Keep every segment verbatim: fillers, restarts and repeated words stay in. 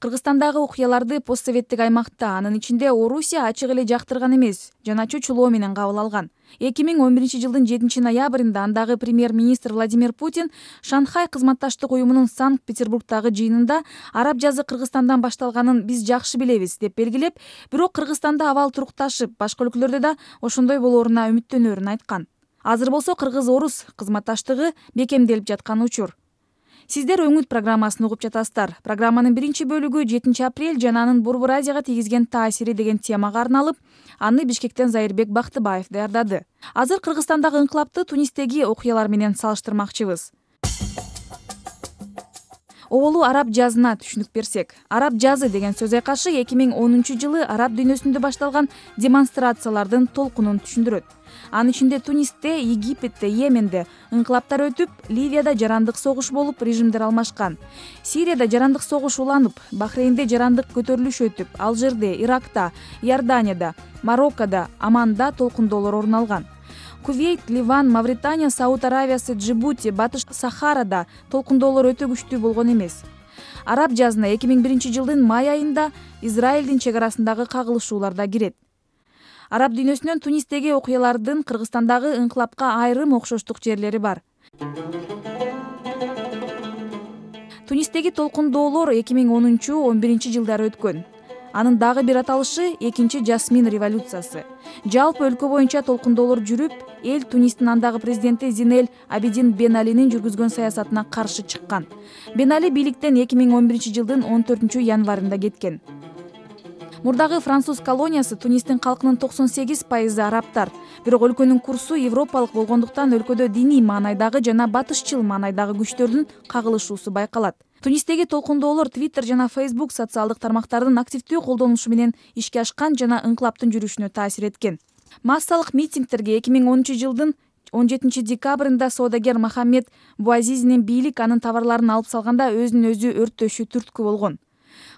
Кыргызстандагы окуяларды постсоветтик аймакта, анын ичинде Орусия ачык эле жактырган эмес, жана чочулоо менен кабыл алган. эки миң он биринчи жылдын жетинчи ноябрында андагы премьер-министр Владимир Путин Шанхай кызматташтык уюмунун Санкт-Петербургдагы жыйынында араб жазы Кыргызстандан башталганын биз жакшы билебиз деп белгилеп, бирок Кыргызстанда абал турукташып, башка өлкөлөрдө да ошондой болооруна үмүттөнөрүн айткан. Азыр болсо кыргыз-орус кызматташтыгы бекемделип жаткан учур. Сиздер Өңүт программасын угуп жатасыздар. Программанын биринчи бөлүгү жетинчи апрель жана анын Борбор Азияга тийгизген таасири деген темага арналып, аны Бишкектен Зайырбек Бактыбаев даярдады. Азыр Кыргызстандагы инкылапты Тунистеги окуялар менен салыштырмакчыбыз. Оболу араб жазына түшүнүк берсек, араб жазы деген сөз айкашы эки миң онунчу жылы араб дүйнөсүндө башталган демонстрациялардын толкунун түшүндүрөт. Анын ичинде Тунисте, Египетте, Йеменде инкылаптар өтүп, Ливияда жарандык согуш болуп, режимдер алмашкан. Сирияда жарандык согуш уланып, Бахрейнде жарандык көтөрүлүш өтүп, Алжирде, Иракта, Иорданияда, Мароккода, Аманда толкундоолор орун алган. Кувейт, Ливан, Мавритания, Сауд Аравиясы, Джибути, Батыш Сахарада толкундоолор өтө күчтүү болгон эмес. Араб жазына эки миң биринчи жылдын май айында Израилдин чек арасындагы кагылышуулар да кирет. Араб дүйнөсүнөн Тунистеги окуялардын Кыргызстандагы инкылапка айрым окшоштук жерлери бар. Тунистеги толкундоолор эки миң онунчу он биринчи жылдары өткөн. Анын дагы бир аталышы экинчи жасмин революциясы. Жалпы өлкө боюнча толкундоолор жүрүп, эл Тунистин андагы президенти Зинель Абидин Бен Алинин жүргүзгөн саясатына каршы чыккан. Бен Али бийликтен эки миң он биринчи жылдын он төртүнчү январында кеткен. Мурдагы француз колониясы Тунистин калкынын токсон сегиз пайызы арабтар. Бирок өлкөнүн курсу европалык болгондуктан өлкөдө диний маанайдагы жана батышчыл маанайдагы күчтөрдүн кагылышуусу байкалат. Тунистеги толкундоолор Twitter жана Facebook социалдык тармактардын активдүү колдонулушу менен ишке ашкан жана инкылаптын жүрүшүнө таасир эткен. Массалык митингтерге эки миң онунчу жылдын он жетинчи декабрында соодагер Мохаммед Буазизинин бийлик анын товарларын алып салганда өзүн өзү өрттөшү түрткү болгон.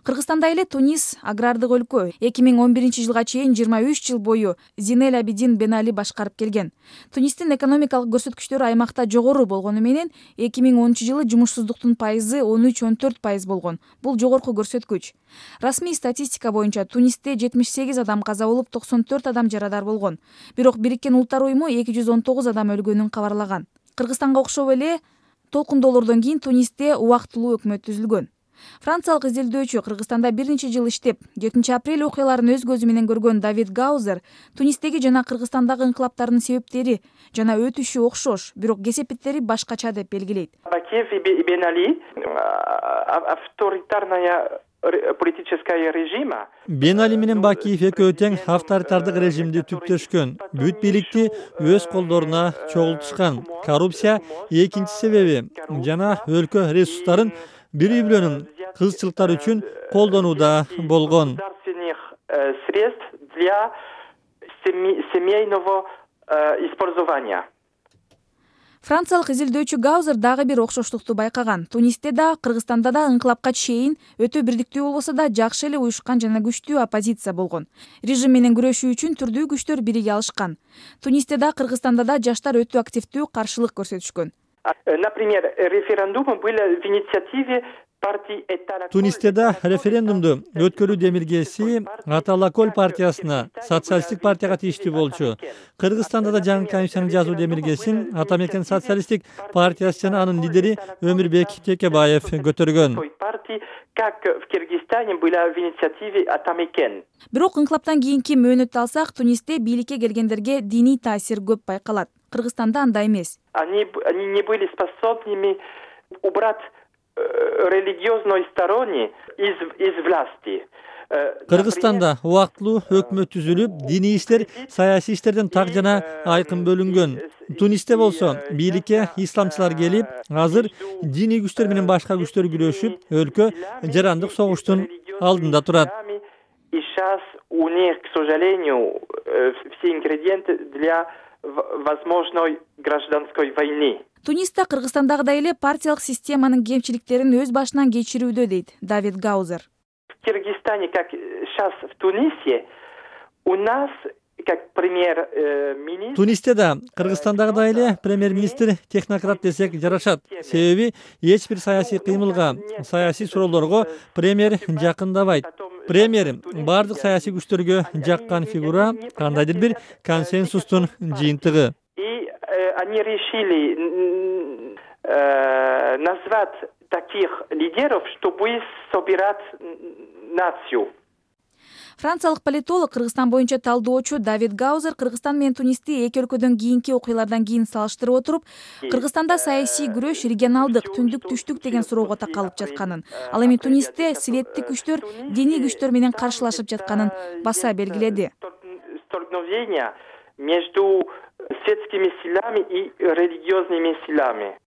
Кыргызстанда эле Тунис агрардык өлкө. эки миң он биринчи жылга чейин жыйырма үч жыл бою Зинель Абидин Бен Али башкарып келген. Тунистин экономикалык көрсөткүчтөрү аймакта жогору болгону менен эки миң онунчу жылы жумушсуздуктун пайызы он үч он төрт пайыз болгон. Бул жогорку көрсөткүч. Расмий статистика боюнча Тунисте жетимиш сегиз адам каза болуп, токсон төрт адам жарадар болгон. Бирок Бириккен Улуттар уюму эки жүз он тогуз адам өлгөнүн кабарлаган. Кыргызстанга окшоп эле толкундоолордон кийин Тунисте убактылуу өкмөт түзүлгөн. Франциялык изилдөөчү Кыргызстанда бир нече жыл иштеп, жетинчи апрель окуяларын өз көзү менен көргөн Давид Гаузер Тунистеги жана Кыргызстандагы инкылаптардын себептери жана өтүшү окшош, бирок кесепеттери башкача деп белгилейт. Бакиев и Бен Али авторитарная политическая режима. Бен Али менен Бакиев экөө тең авторитардык режимди түптөшкөн, бүт бийликти өз колдоруна чогултушкан. Коррупция экинчи себеби жана өлкө ресурстарын бири-бирөөнүн кызчылыктар үчүн колдонууда болгон. Средств для семейного использования. Франциялык изилдөөчү Гаузер дагы бир окшоштукту байкаган. Тунисте да, Кыргызстанда да инкылапка чейин өтө бирдиктүү болбосо да жакшы эле уюшкан жана күчтүү оппозиция болгон. Режим менен күрөшүү үчүн түрдүү күчтөр бириге алышкан. Тунисте да, Кыргызстанда да жаштар өтө активдүү каршылык көрсөтүшкөн. Например, референдумы были в инициативе партии Этара. Тунисте да референдумду өткөрүү демилгеси Аталакөл партиясына, социалисттик партияга тийиштүү болчу. Кыргызстанда да жаңы комиссиянын жазуу демилгесин Атамекен социалисттик партиясы жана анын лидери Өмүрбек Текебаев көтөргөн. Как в Кыргызстане была в инициативе Атамекен. Бирок инкылаптан кийинки мөөнөттү алсак, Тунисте бийликке келгендерге диний таасир көп байкалат. Кыргызстанда андай эмес. Они они не были способными убрать религиозной стороны из из власти. Кыргызстанда убактылуу өкмөт түзүлүп, диний иштер саясий иштерден так жана айкын бөлүнгөн. Тунисте болсо бийликке исламчылар келип, азыр диний күчтөр менен башка күчтөр күрөшүп, өлкө жарандык согуштун алдында турат. И сейчас у них, к сожалению, все ингредиенты для возможной гражданской войны. Туниста Кыргызстандагыдай эле партиялык системанын кемчиликтерин өз башынан кечирүүдө, дейт Давид Гаузер. В Кыргызстане, как сейчас в Тунисе, у нас как премьер-министр. Тунисте да, Кыргызстандагыдай эле премьер-министр технократ десек жарашат. Себеби эч бир саясий кыймылга, саясий суроолорго премьер жакындабайт. Премьер бардык саясий күчтөргө жаккан фигура, кандайдыр бир консенсустун жыйынтыгы. И они решили назвать таких лидеров, чтобы собирать нацию. Франциялык политолог, Кыргызстан боюнча талдоочу Давид Гаузер Кыргызстан менен Тунисти эки өлкөдөн кийинки окуялардан кийин салыштырып отуруп, Кыргызстанда саясий күрөш регионалдык, түндүк, түштүк деген суроого такалып жатканын, ал эми Тунисте светтик күчтөр диний күчтөр менен каршылашып жатканын баса белгиледи. Столкновения между светскими силами и религиозными силами.